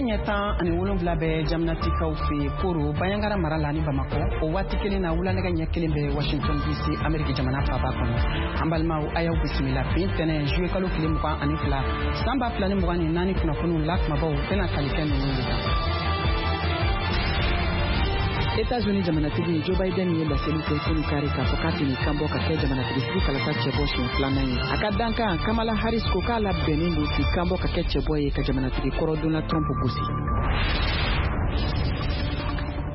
Nɛgɛ ɲɛ 17 bɛ Jamanatikaw fɛ yen Koro, Banjagara mara la ni Bamakɔ. O waati kelen na, wula nɛgɛ ɲɛ 1 bɛ Washington DC, Ameriki jamana faaba kɔnɔ. An balimaw, a y'aw bisimila bi ntɛnɛn juillet kalo tile 22 san 2024 kunnafoniw la kumabaw bɛna tali kɛ ninnu de kan. États-Unis jamanatigi Joe Biden ye laseli kɛ kunu kari k'a fɔ k'a tɛn'i kanbɔ ka kɛ jamanatigisigi kalata cɛbɔ siɲɛ filanan ye. A ka dankan Kamala Harris ko k'a labɛnnen don k'i kanbɔ ka kɛ cɛbɔ ye ka jamanatigi kɔrɔ Donald Trump gosi.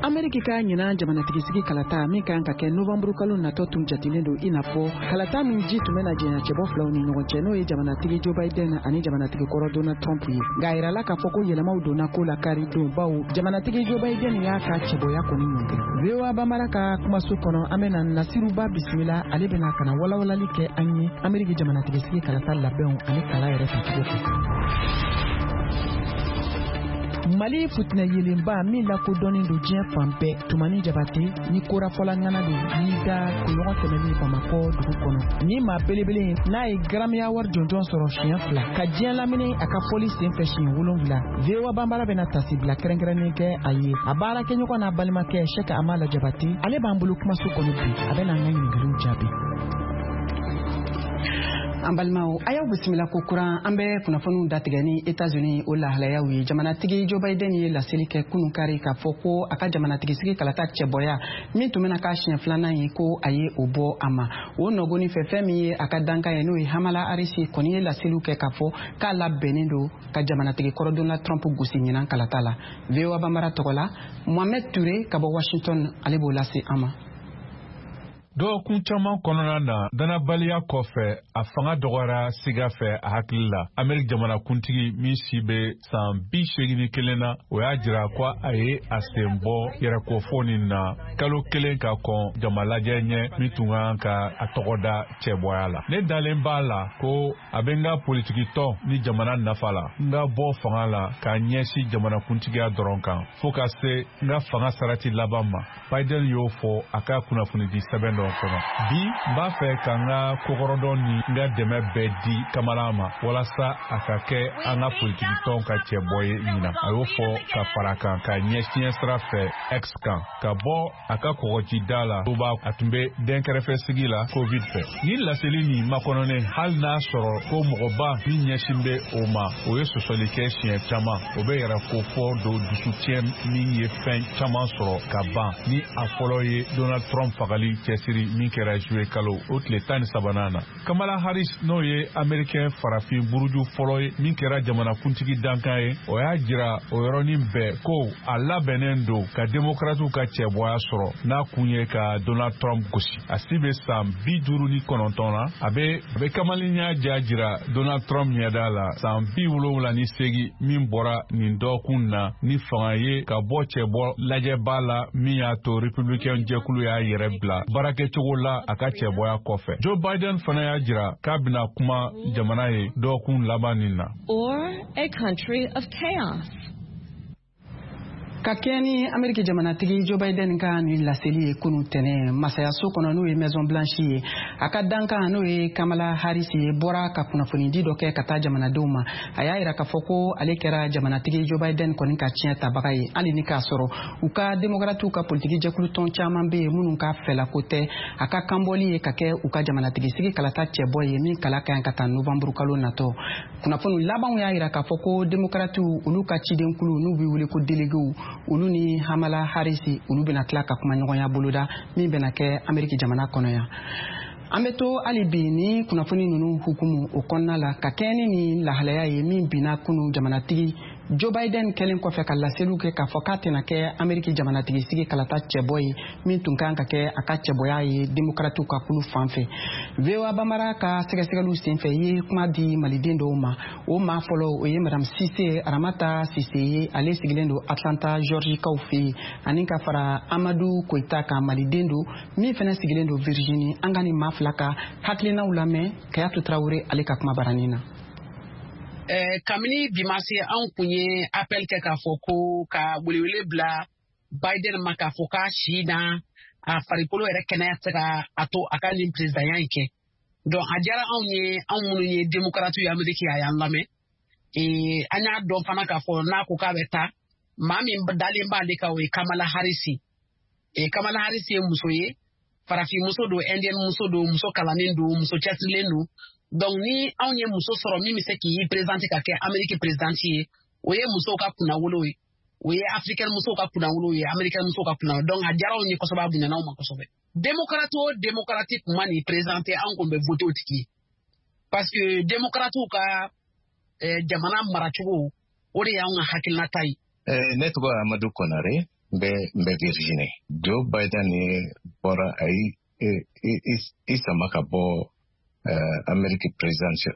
Ameriki ka ɲinan jamanatigisigi kalata min kan ka kɛ novanburu kalo natɔ tun jatilen don i n'a fɔ kalata min ji tun bɛna jɛnya cɛbɔ filaw ni ɲɔgɔn cɛ, n'o ye jamanatigi Joe Biden ani jamanatigi kɔrɔ Donald Trump ye. Nka a yirala k'a fɔ ko yɛlɛmaw donna ko la kari don, bawo jamanatigi Joe Biden y'a ka cɛbɔya kɔni ɲɔngiri. VOA Bambara ka kumaso kɔnɔ, an bɛna Nasiruba bisimila. Ale bɛna ka na walawalali kɛ an ye Ameriki jamanatigisigi kalata labɛnw ani kala yɛrɛ tacogo kan. Mali futinɛ yelenba min lakodɔnnen don diɲɛ fan bɛɛ, Tumani Jabate ni korafɔla ŋana don, y'i da kunɲɔgɔn tɛmɛnen Bamakɔ dugu kɔnɔ. Ni maa belebele n'a ye Grammy Award jɔnjɔn sɔrɔ siɲɛ 2, ka diɲɛ lamini a ka fɔli senfɛ siɲɛ 7. VOA Bambara bɛna tasibila kɛrɛnkɛrɛnnen kɛ a ye. A baarakɛɲɔgɔn n'a balimakɛ Sɛki Amala Jabate, ale b'an bolo kumaso kɔnɔ bi, a bɛna an ka ɲininkaliw jaabi. An balimaw, a y'aw bisimila ko kuran. An bɛ kunnafoniw datigɛ ni États-Unis o lahalayaw ye. Jamanatigi Joe Biden ye laseli kɛ kunun kari k'a fɔ ko a ka jamanatigisigi kalata cɛbɔya min tun bɛna k'a siɲɛ filanan ye, ko a ye o bɔ a ma. O nɔgɔni fɛ, fɛn min ye a ka dankan ye, n'o ye Kamala Harris, kɔni ye laseliw kɛ k'a fɔ k'a labɛnnen don ka jamanatigi kɔrɔ Donald Trump gosi ɲinan kalata la. VOA Bambara tɔgɔ la, Mohamed Touré ka bɔ Washington, ale b'o lase an ma. Dɔgɔkun caman kɔnɔna na, danabaliya kɔfɛ, a fanga dɔgɔyara siga fɛ a hakili la. Ameriki jamanakuntigi min si bɛ san 81 na, o y'a jira ko a ye a sen bɔ yɛrɛkofo nin na kalo kelen ka kɔn jamalajɛ ɲɛ min tun kan ka a tɔgɔ da cɛbɔya la. Ne dalen b'a la ko a bɛ n ka politikitɔn ni jamana nafa la n ka bɔ fanga la k'a ɲɛsin jamanakuntigiya dɔrɔn kan fo ka se n ka fanga sarati laban ma, Biden y'o fɔ a ka kunnafonidi sɛbɛn dɔ kɔnɔ. Bi, n b'a fɛ ka n ka kokɔrɔdɔn ni n ka dɛmɛ bɛɛ di Kamala ma walasa a ka kɛ an ka politikitɔn ka cɛbɔ ye ɲinan, a y'o fɔ ka fara kan ka ɲɛsiɲɛ sira fɛ X kan ka bɔ a ka kɔgɔjida la. B'a a tun bɛ dɛnkɛrɛfɛ sigi la COVID fɛ. Ni laseli nin makɔnɔnen, hali n'a sɔrɔ ko mɔgɔba min ɲɛsin bɛ o ma, o ye sɔsɔli kɛ siɲɛ caman, o bɛ yɛrɛ ko fɔ don dusutiɲɛ min ye fɛn caman sɔrɔ ka ban, ni a fɔlɔ ye Donald Trump fagali cɛsiri min kɛra juillet kalo o tile 13nan na. Kamala Harris, n'o ye Américain farafin buruju fɔlɔ ye min kɛra jamanakuntigi dankan ye, o y'a jira o yɔrɔnin bɛɛ ko a labɛnnen don ka démocratiw ka cɛbɔya sɔrɔ, n'a kun ye ka Donald Trump gosi. A si bɛ san 59 na. A bɛ kamalenya ja jira Donald Trump ɲɛda la, san 78, min bɔra nin dɔgɔkun na ni fanga ye ka bɔ cɛbɔ lajɛba la min y'a to républicain jɛkulu y'a yɛrɛ bila baarakɛcogo la a ka cɛbɔya kɔfɛ. Joe Biden fana y'a jira k'a bɛna kuma jamana ye dɔgɔkun laban nin na. Or a country of chaos. Ka kɛɲɛ ni Ameriki jamanatigi Joe Biden ka nin laseli ye kunu tɛnɛ masayaso kɔnɔ, n'o ye Maison Blanche ye, a ka dankan, n'o ye Kamala Harris ye, bɔra ka kunnafonidi dɔ kɛ ka taa jamanadenw ma. A y'a yira k'a fɔ ko ale kɛra jamanatigi Joe Biden kɔni ka tiɲɛ tabaga ye, hali ni k'a sɔrɔ u ka démocratiw ka politiki jɛkulu tɔn caman bɛ yen minnu ka fɛlako tɛ a ka kanbɔli ye ka kɛ u ka jamanatigi sigi kalata cɛbɔ ye min kala ka ɲi ka taa novanburu kalo natɔ. Kunnafoni labanw y'a yira k'a fɔ ko démocratiw olu ka cidenkulu, n'u bɛ wele ko déléguéw, olu ni Kamala Harris, olu bɛna tila ka kumaɲɔgɔnya boloda min bɛna kɛ Ameriki jamana kɔnɔ yan. An bɛ to hali bi ni kunnafoni ninnu hukumu o kɔnɔna la. Ka kɛɲɛ ni nin lahalaya ye min binna kunu, jamanatigi Joe Biden kɛlen kɔfɛ ka laseliw kɛ k'a fɔ k'a tɛna kɛ Ameriki jamanatigi sigi kalata cɛbɔ ye min tun kan ka kɛ a ka cɛbɔya ye démocratiw ka kulu fan fɛ, VOA Bambara ka sɛgɛsɛgɛliw senfɛ ye kuma di maliden dɔw ma. O maa fɔlɔ, o ye Madame Sise Aramata Sise ye, ale sigilen don Atlanta, Georgikaw fɛ yen, ani ka fara Amadu Koyita kan, maliden don min fana sigilen don Virginie. An ka nin maa fila ka hakilinaw lamɛn Kayatu Tarawele ale ka kuma baranin na. Kabini bi ma se, anw kun ye appel kɛ k'a fɔ ko ka welewele bila Biden ma k'a fɔ k'a si na a farikolo yɛrɛ kɛnɛya tɛ se ka a to a ka nin présidentya in kɛ. Donc a diyara anw ye, anw minnu ye démocrate ye Amérique, a y'an lamɛn. An y'a dɔn fana k'a fɔ n'a ko k'a bɛ taa, maa min dalen b'ale kan, o ye Kamala Harris. Kamala Harris ye muso ye, farafin muso don, indienne muso don, muso kalannen don, muso cɛsirilen don. Donc ni anw ye muso sɔrɔ min bɛ se k'i présenter ka kɛ Amérique présidente ye, o ye musow ka kunnawolo ye, o ye africaine musow ka kunnawolo ye, américaine musow ka kunnawolo. Donc a diyara anw ye kosɛbɛ, a bonyana anw ma kosɛbɛ. Démocrate o démocrate tun ma nin présenter, anw kun bɛ voter o tigi ye, parce que démocratew ka jamana maracogo, o de y'anw ka hakilinata ye. Ne tɔgɔ Amadu Konare, n bɛ Virginie. Joe Biden ye bɔra, a yi i sama ka bɔ Amérique presidential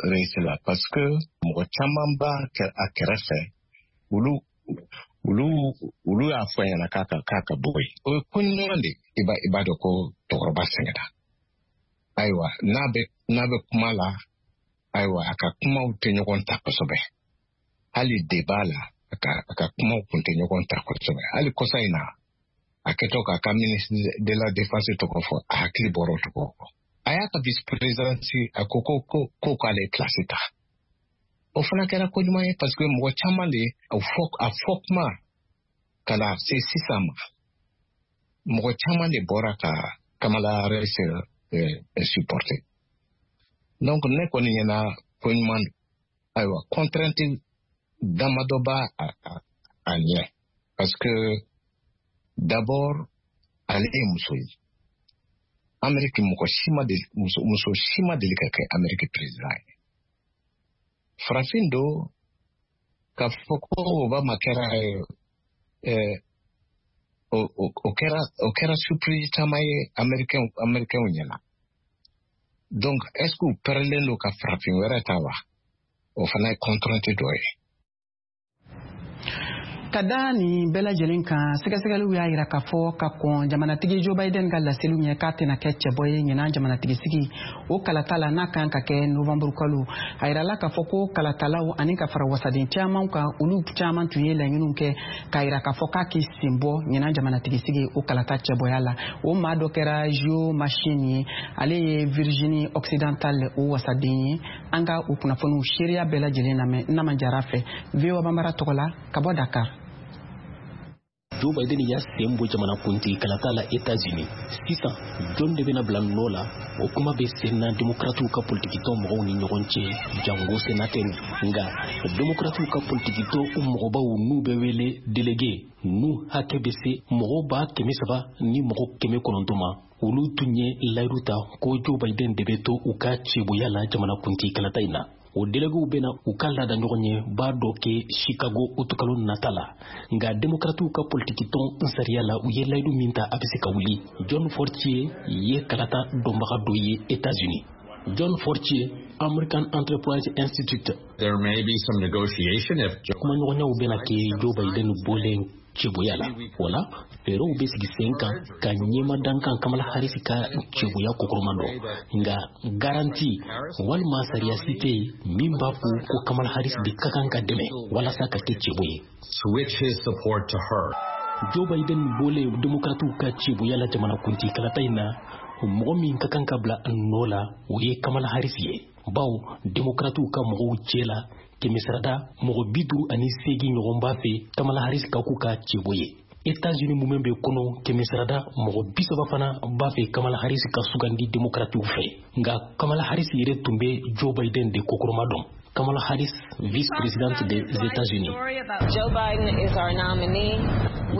race la, parce que mɔgɔ caman b'a a kɛrɛfɛ, olu y'a fɔ a ɲɛna k'a ka bɔ yen. O ye ko ɲuman de. I b'a dɔn ko cɛkɔrɔba sɛgɛnna. Ayiwa, n'a bɛ kuma la, ayiwa, a ka kumaw tɛ ɲɔgɔn ta kosɛbɛ. Hali débat la, a ka kumaw kun tɛ ɲɔgɔn ta kosɛbɛ. Hali kɔsa in na, a kɛtɔ k'a ka ministre de la défense tɔgɔ fɔ, a hakili bɔra o tɔgɔ kɔ. A y'a ka vice présidence, a ko k'ale place ta. O fana kɛra ko ɲuman ye, parce que mɔgɔ caman de a fɔ kuma ka na se sisan ma, mɔgɔ caman de bɔra ka Kamala Harris supporter. Donc ne kɔni ɲɛna, ko ɲuman don. Ayiwa, contrainte damadɔ b'a a ɲɛ, parce que d'abord ale ye muso ye. Amérique, mɔgɔ si ma deli, muso si ma deli ka kɛ Amérique président ye. Farafin don. K'a fɔ ko Obama kɛra, o kɛra surprise caman ye américain ɲɛna. Donc est ce que u pɛrɛlen don ka farafin wɛrɛ ta wa? O fana ye contrainte dɔ ye. Ka da nin bɛɛ lajɛlen kan, sɛgɛsɛgɛliw y'a yira k'a fɔ ka kɔn jamanatigi Joe Biden ka laseliw ɲɛ k'a tɛna kɛ cɛbɔ ye ɲinan jamanatigi sigi o kalata la, n'a kan ka kɛ novanburu kalo, a yirala k'a fɔ ko kalatalaw ani ka fara wasaden caman kan, olu caman tun ye laɲiniw kɛ k'a yira k'a fɔ k'a k'i sen bɔ ɲinan jamanatigi sigi o kalata cɛbɔya la. O maa dɔ kɛra Joe Manchin ye, ale ye Virginie Occidentale o wasaden ye. An ka o kunnafoniw seereya bɛɛ lajɛlen lamɛn Nama Jara fɛ, VOA Banbara tɔgɔ la, ka bɔ Dakar. Joe Biden y'a sen bɔ jamanakuntigi kalata la Etats-Unis. Sisan, jɔn de bɛna bila nɔ la? O kuma bɛ sen na demokratiw ka politikitɔn mɔgɔw ni ɲɔgɔn cɛ, jango senatɛriw. Nka demokratiw ka politikitɔn mɔgɔbaw, n'u bɛ wele délégué, n'u hakɛ bɛ se mɔgɔ 300 ni mɔgɔ 900 ma, olu tun ye layidu ta ko Joe Biden de bɛ to u ka cɛboya la jamanakuntigi kalata in na. O déléguéw bɛna u ka laada ɲɔgɔn ye b'a dɔ kɛ Chicago utukalo nata la. Nka demokratiw ka politikitɔn sariya la, u ye layidu min ta, a bɛ se ka wuli. John Fortier ye kalata dɔnbaga dɔ ye Etats-Unis. John Fortier, American Enterprise Institute. There may be some negotiation if Kumaɲɔgɔnyaw bɛna kɛ Joe Biden bɔlen cɛboya la. O la, fɛɛrɛw bɛ sigi sen kan ka ɲɛma dankan Kamala Harris ka cɛboya kɔkɔrɔma dɔn. Nka garantie walima sariya si tɛ yen min b'a fɔ ko Kamala Harris de ka kan ka dɛmɛ walasa ka kɛ cɛbo ye. switch his support to her. Joe Biden bɔlen demokratiw ka cɛboya la jamanakuntigi kalata in na, mɔgɔ min ka kan ka bila nɔ la, o ye Kamala Harris ye, bawo demokratiw ka mɔgɔw cɛ la, kɛmɛsarada mɔgɔ 58 ɲɔgɔn b'a fɛ Kamala Harris ka k'u ka cɛbo ye. Etats-Unis mumɛ bɛ kɔnɔ, kɛmɛsarada mɔgɔ 30 fana b'a fɛ Kamala Harris ka sugandi demokratiw fɛ. Nka Kamala Harris yɛrɛ tun bɛ Joe Biden de kɔkɔrɔma dɔn. Kamala Harris, vice-présidente des États-Unis. Joe Biden is our nominee.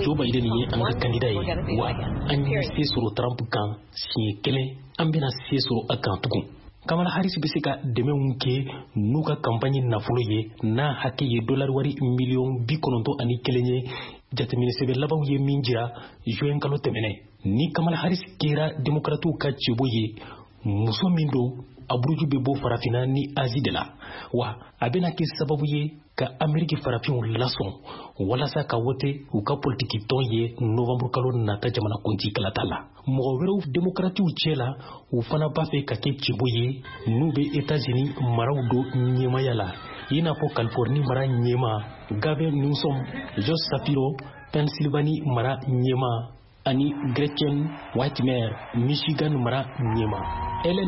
Joe Biden ye an ka candidat ye wa. An ye se sɔrɔ Trump kan siɲɛ kelen, an bɛna se sɔrɔ a kan tugun. Kamala Harris bɛ se ka dɛmɛw kɛ n'u ka campagne nafolo ye, n'a hakɛ ye dolari wari miliyɔn 91 ye, jateminɛ sɛbɛn labanw ye min jira juin kalo tɛmɛnɛ. Ni Kamala Harris kɛra demokratiw ka cɛbɔ ye, muso min don, a buruju bɛ bɔ Farafinna ni Azi de la wa, a bɛna kɛ sababu ye ka Ameriki farafinw lasɔn walasa ka wote u ka politiki tɔn ye novanburu kalo nata jamanakuntigi kalata la. Mɔgɔ wɛrɛw demokratiw cɛ la, u fana b'a fɛ ka kɛ cɛbɔ ye, n'u bɛ Etats-Unis maraw do ɲɛmaya la, i n'a fɔ Californie mara ɲɛma Gavin Newsom, Josh Shapiro, Pennsylvanie mara ɲɛma, ani Gretchen Whitmer, Michigan mara ɲɛma. Ellen